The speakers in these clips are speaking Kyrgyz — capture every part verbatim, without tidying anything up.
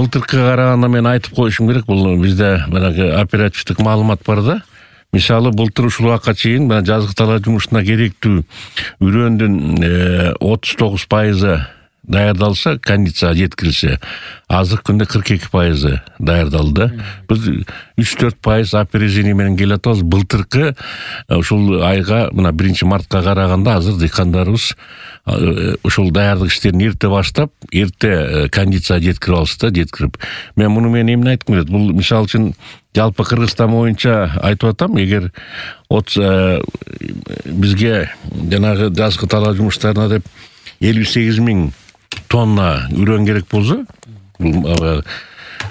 былтыркыга караганда мен айтып коюшум керек, бул бизде баягы оперативдик маалымат бар да. Мисалы былтыр ушул убакка чейин жазгы талаа жумушуна керектүү үрөндүн отуз тогуз пайызы даярдалса, кондицияга жеткирилсе, азыркы күндө кырк эки пайызы даярдалды. Биз үч төрт пайыз опережение менен келатабыз. Былтыркы ушул айга, мына биринчи мартка караганда азыр дыйкандарыбыз ушул даярдык иштерин эрте баштап, эрте кондицияга жеткирип алышты, жеткирип. Мен муну менен эмне айткым келет? Бул мисалы үчүн жалпы Кыргызстан боюнча айтып атам, эгер бизге жанагы жазгы талаа жумуштарына деп элүү сегиз миң тонна үрөн керек болсо, бул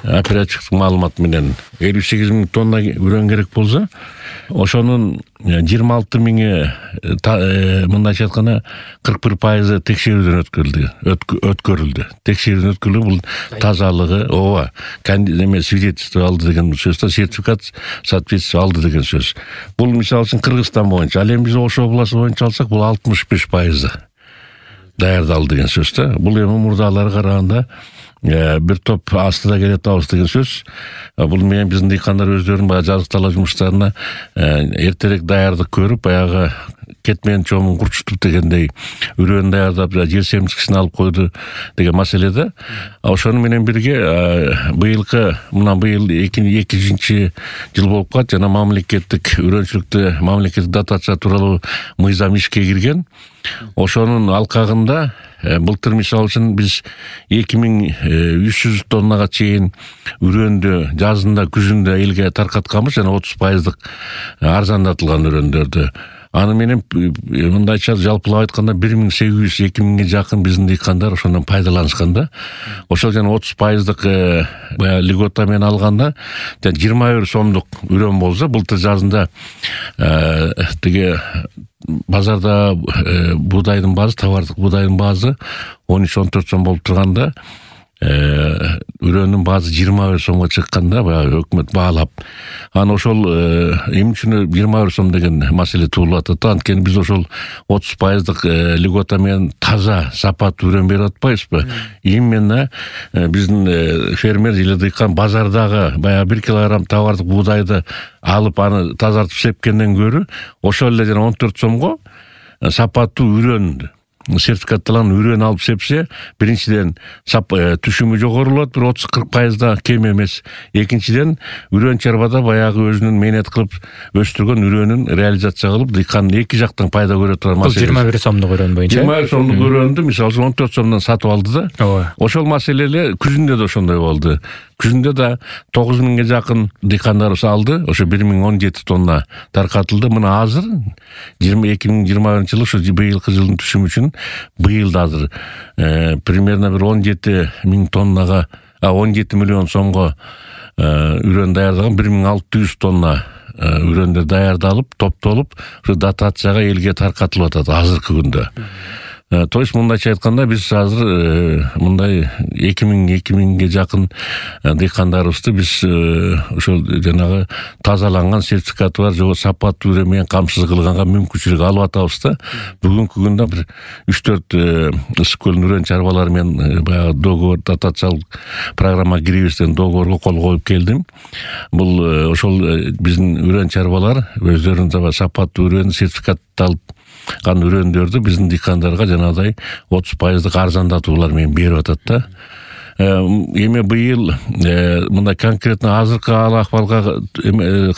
оперативдик маалымат менен элүү сегиз миң тонна үрөн керек болсо, ошонун жыйырма алты миңи мындайча айтканда кырк бир пайызы текшерүүдөн өткөрүлдү, өткөрүлдү. Текшерүүдөн өткөрүлүп, бул тазалыгы, ооба, эме свидетельство алды деген сөз да, сертификат соответствие алды деген сөз. Бул мисалы үчүн Кыргызстан боюнча, ал эми биз Ош областы боюнча алсак, бул алтымыш беш пайызы даярдалды деген сөз да. Бул эми мурдалары караганда бир топ астыда келатабыз деген сөз. Бул менен биздин дыйкандар өздөрүнүн баягы жазгы талаа жумуштарына эртерээк даярдык көрүп, баягы кетмен чомун курчутуп дегендей үрөн даярдап, жер семчкисин алып койду деген маселеде. Ошону менен бирге быйылкы, мына быйыл экинчи жыл болуп калат, жана мамлекеттик үрөнчүлүктү мамлекеттик дотация тууралуу мыйзам ишке кирген. Ошонун алкагында былтыр мисалы үчүн биз эки миң үч жүз тоннага чейин үрөндү жазында, күзүндө элге таркатканбыз, жана отуз пайыздык арзандатылган үрөндөрдү. Аны менен мындайча жалпылап айтканда бир миң сегиз жүз эки миңге жакын биздин дыйкандар ошондон пайдаланышкан да. Ошол жана отуз пайыздык баягы льгота менен алганда жыйырма бир сомдук үрөн болсо, былтыр жазында тиги базарда буудайдын баазы, товардык буудайдын баазы он үч он төрт сом болуп турганда, үрөндүн баазы жыйырма бир сомго чыкканда, баягы өкмөт баалап. Аны ошол эмне үчүн жыйырма бир сом деген маселе туулуп атат. Анткени биз ошол отуз пайыздык льгота менен таза, сапаттуу үрөн берип атпайбызбы? Именно биздин фермер или дыйкан базардагы баягы бир килограмм товардык буудайды алып, аны тазартып сепкенден көрү, ошол эле жана он төрт сомго сапаттуу үрөн, сертификатталган үрөн алып сепсе, биринчиден түшүмү жогорулат, бир отуз кырк пайызда кем эмес. Экинчиден, үрөн чарбада баягы өзүнүн мээнет кылып өстүргөн үрөнүн реализация кылып, дыйкан эки жактан пайда көрө турган маселе. жыйырма бир сомдук үрөн боюнча. жыйырма бир сомдук үрөндү мисалы он төрт сомдон сатып алды да. Ошол маселе эле күзүндө да ошондой болду. Күзүндө да тогуз миңге жакын дыйкандарыбыз алды. Ошо бир миң он жети тонна таркатылды. Мына азыр эки миң жыйырма биринчи жылы, ушу быйылкы жылдын түшүмү үчүн быйыл да азыр примерно бир он жети миң тоннага, он жети миллион сомго үрөн даярдаган, бир миң алты жүз тонна үрөндөр даярдалып, топтолуп, ушу дотацияга элге таркатылып атат азыркы күндө. То есть мындайча айтканда биз азыр мындай эки миң эки миңге жакын дыйкандарыбызды биз ошол жанагы тазаланган, сертификаты бар, жок сапаттуу үрөн менен камсыз кылганга мүмкүнчүлүк алып атабыз да. Бүгүнкү күндө бир үч төрт ысык көлдүн үрөн чарбалары менен баягы договор, дотациялык программа киребиз деген договорго кол коюп келдим. Бул ошол биздин үрөн чарбалар өздөрүнүн сапаттуу үрөн сертификатталып кан үрөндөрдү биздин дыйкандарга жанагыдай отуз пайыздык арзандатуулар менен берип атат да. Эми быйыл мындай конкретно азыркы ахвалга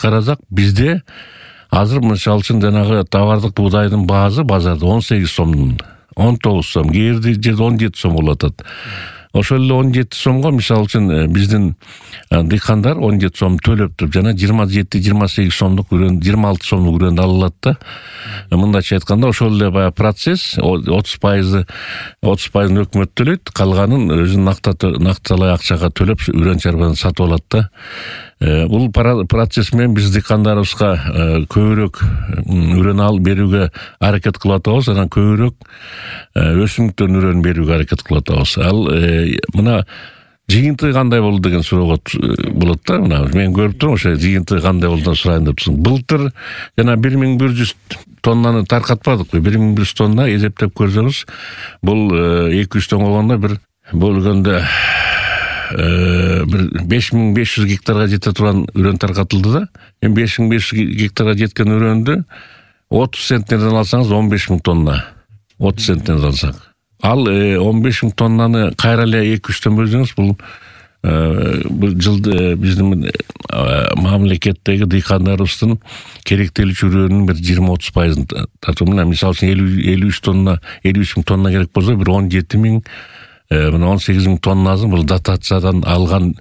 карасак, бизде азыр мисалы үчүн жанагы товардык буудайдын баазы базарда он сегиз сом, он тогуз сом, кээ бир жерде он жети сом болуп атат. Ошол эле он жети сомго мисалы үчүн биздин дыйкандар он жети сом төлөп туруп, жана жыйырма жети жыйырма сегиз сомдук үрөн, жыйырма алты сомдук үрөндү ала алат да. Мындайча айтканда, ошол эле баягы процесс отуз пайызы отуз пайызын өкмөт төлөйт, калганын өзүнүн накталай акчага төлөп үрөн чарбаны сатып алат да. Бул процесс менен биз дыйкандарыбызга көбүрөөк үрөн алып берүүгө аракет кылып атабыз, анан көбүрөөк өсүмдүктөн үрөн берүүгө аракет кылып атабыз. Ал мына жыйынтыгы кандай болду деген суроого болот да. Мына мен көрүп турам, ошо жыйынтыгы кандай болду сурайын деп турсуң. Былтыр жана бир миң бир жүз тоннаны таркатпадыкпы? бир миң бир жүз тонна эсептеп көрсөңүз, бул эки жүз тонн болгондо бир бөлгөндө бир беш миң беш жүз гектарга жете турган үрөн таркатылды да. Эми беш миң беш жүз гектарга жеткен үрөндү отуз центнерден алсаңыз он беш миң тонна. отуз центнерден алсак. Ал он беш миң тоннаны кайра эле эки үчтөн бөлсөңүз бул бул жылды биздин мамлекеттеги дыйкандарыбыздын керектелүүчү үрөөнүн бир жыйырма отуз пайызын тартуу менен, мисалы үчүн элүү үч тонна, элүү үч миң тонна керек болсо, бир он жети миң, мына он сегиз миң тоннасын бул дотациядан алган,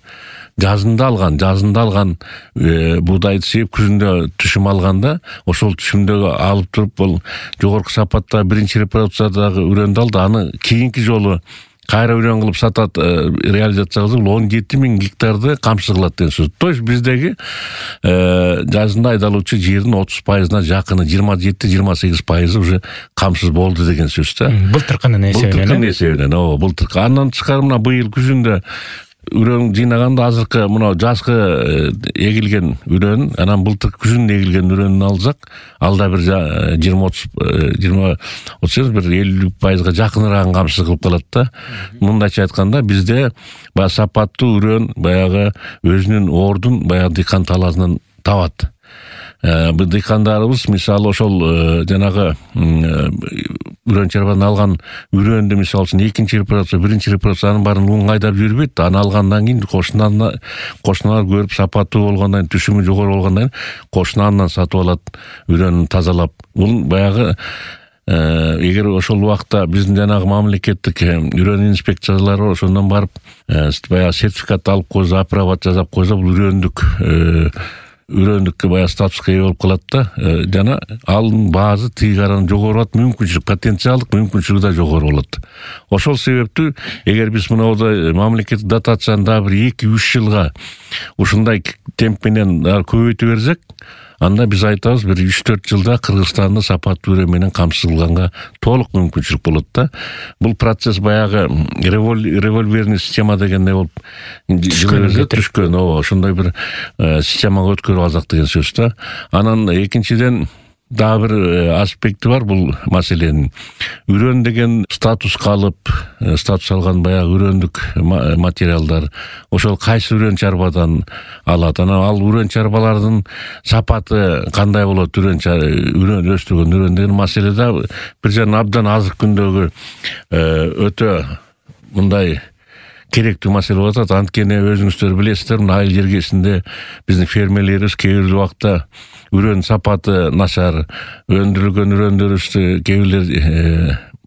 жазында алган, жазында алган буудайды сээп күзүндө түшүм алганда, ошол түшүмдөгү алып туруп бул жогорку сапатта биринчи репродукциядагы үрөндү алды, аны кийинки жолу кайра үрөн кылып сатат, реализация кылса бул он жети миң гектарды камсыз кылат деген сөз. То есть биздеги жазында айдалуучу жердин отуз пайызына жакыны, жыйырма жети жыйырма сегиз пайызы уже камсыз болду деген сөз да. Былтыркынын эсебинен. Былтыркынын эсебинен, ооба, былтыркы. Андан тышкары мына быйыл күзүндө үрөн жыйнаганда азыркы мына жазгы эгилген үрөн, анан былтыр күзүндө эгилген үрөндү алсак, алда бир жыйырма отуз жыйырма отуз бир элүү пайызга жакыныраак камсыз кылып калат да. Мындайча айтканда бизде баягы сапаттуу үрөн баягы өзүнүн ордун баягы дыйкан талаасынан табат. Бул дыйкандарыбыз мисалы ошол жанагы үрөн чарбадан алган үрөндү мисалы үчүн экинчи репродукция, биринчи репродукциянын баарын луң айдап жүрбөйт да. Аны алгандан кийин кошуналар кошуналар көрүп сапаттуу болгондон кийин, түшүмү жогору болгондон кийин кошуна андан сатып алат, үрөнүн тазалап. Бул баягы эгер ошол убакта биздин жанагы мамлекеттик үрөн инспекциялары ошондон барып баягы сертификат алып койсо, апробат жасап койсо, бул үрөндүк үрөндүккө баягы статуска ээ болуп калат да. Жана алын баазы тиги карадан жогору болот, мүмкүнчүлүк, потенциалдык мүмкүнчүлүгү да жогору болот. Ошол себептүү эгер биз мынабуда мамлекеттик дотацияны дагы бир эки үч жылга ушундай темп менен көбөйтө берсек, анда биз айтабыз бир үч төрт жылда Кыргызстанды сапаттуу үрөн менен камсыз кылганга толук мүмкүнчүлүк болот да. Бул процесс баягы револьверный система дегенде болуп түшкөн, ооба, ошондой бир системага өткөрүп алсак деген сөз да. Анан экинчиден дагы бир аспекти бар бул маселенин. Үрөн деген статуска алып, статус алган баягы үрөндүк материалдар, ошол кайсы үрөн чарбадан алат, анан ал үрөн чарбалардын сапаты кандай болот, үрөн үрөн өстүргөн үрөн деген маселе да бир жерден абдан азыркы күндөгү өтө мындай керектүү маселе болуп атат. Анткени өзүңүздөр билесиздер, мына айыл жергесинде биздин фермерлерибиз кээ бир убакта үрөн сапаты начар, өндүрүлгөн үрөндөрүбүздү кээ бирлер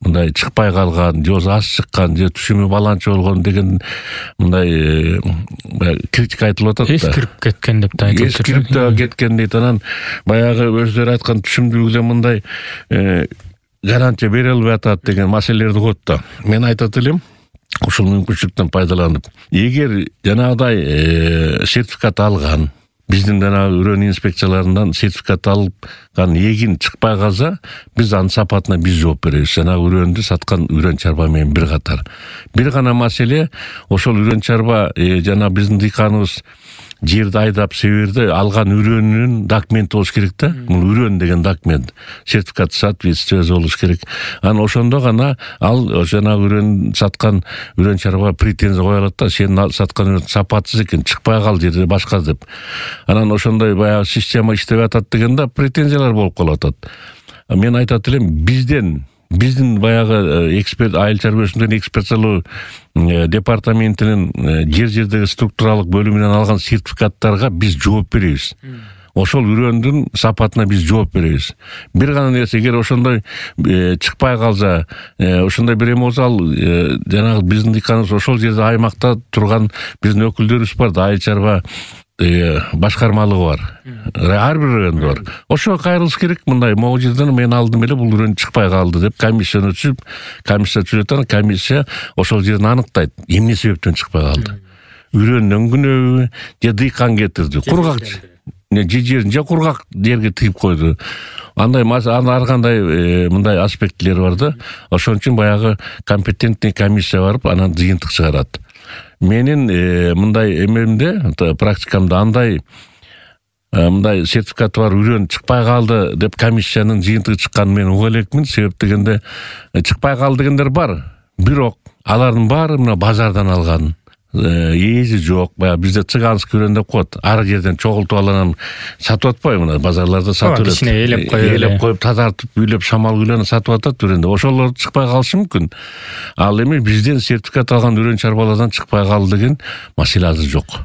мындай чыкпай калган, же аз чыккан, же түшүмү баланча болгон деген мындай критика айтылып атат да. Эскирип кеткен деп да айтылып жатат. Эскирип да кеткен дейт. Анан баягы өздөрү айткан түшүмдүүлүкү мындай гарантия бере албай атат деген маселелерди коет да. Мен айтат элем, ушул мүмкүнчүлүктөн пайдаланып, эгер жанагыдай сертификат алган, биздин жанагы үрөн инспекцияларынан сертификат алган эгин чыкпай калса, биз анын сапатына биз жооп беребиз. Жанагы үрөндү саткан үрөн чарба менен бир катар. Бир гана маселе, ошол үрөн чарба жана биздин дыйканыбыз жерди айдап себерди алган үрөнүнүн документи болуш керек да. Бул үрөн деген документ, сертификат соответствие болуш керек. Анан ошондо гана ал жанагы үрөн саткан үрөн чарба претензия кое алат да, сен саткан үрөн сапатсыз экен, чыкпай кал жерде башка деп. Анан ошондой баягы система иштеп атат дегенде претензиялар болуп калып атат. Мен айтат элем, бизден биздин баягы эксперт, айыл чарба өсүмдүгүнүн экспертиялоо департаментинин жер жердеги структуралык бөлүмүнөн алган сертификаттарга биз жооп беребиз. Ошол үрөндүн сапатына биз жооп беребиз. Бир гана нерсе, эгер ошондой чыкпай калса, ошондой бир эме болсо, ал жанагы биздин дыйканыбыз ошол жерде аймакта турган биздин өкүлдөрүбүз бар да, айыл чарба башкармалыгы бар. Ар бир райондо бар. Ошого кайрылыш керек. Мындай могу жерден мен алдым эле, бул үрөн чыкпай калды деп комиссияны түзүп, комиссия түзөтөт, комиссия ошол жерин аныктайт. Эмне себептен чыкпай калды? Үрөндөн күнөбү, же дыйкан кетирди, кургак же жерин же кургак жерге тыйып койду. Андай ар кандай мындай аспектилер бар да. Ошон үчүн баягы компетентный комиссия барып, анан жыйынтык чыгарат. Менин мындай эмемде, практикамда андай мындай сертификаты бар үрөн чыкпай калды деп комиссиянын жыйынтыгы чыкканын мен уга элекмин. Себеп дегенде чыкпай калды дегендер бар, бирок алардын баары мына базардан алган, ээси жок. Баягы бизде цыганский үрөн деп коет. Ар жерден чогултуп алып сатып атпайбы, мына базарларда сатып берет. Кичине ээлеп коюп, ээлеп коюп, тазартып, үйлөп, шамал күйлөнүп сатып атат үрөндө. Ошолор чыкпай калышы мүмкүн. Ал эми бизден сертификат алган үрөн чарбалардан чыкпай калды деген маселе азыр жок.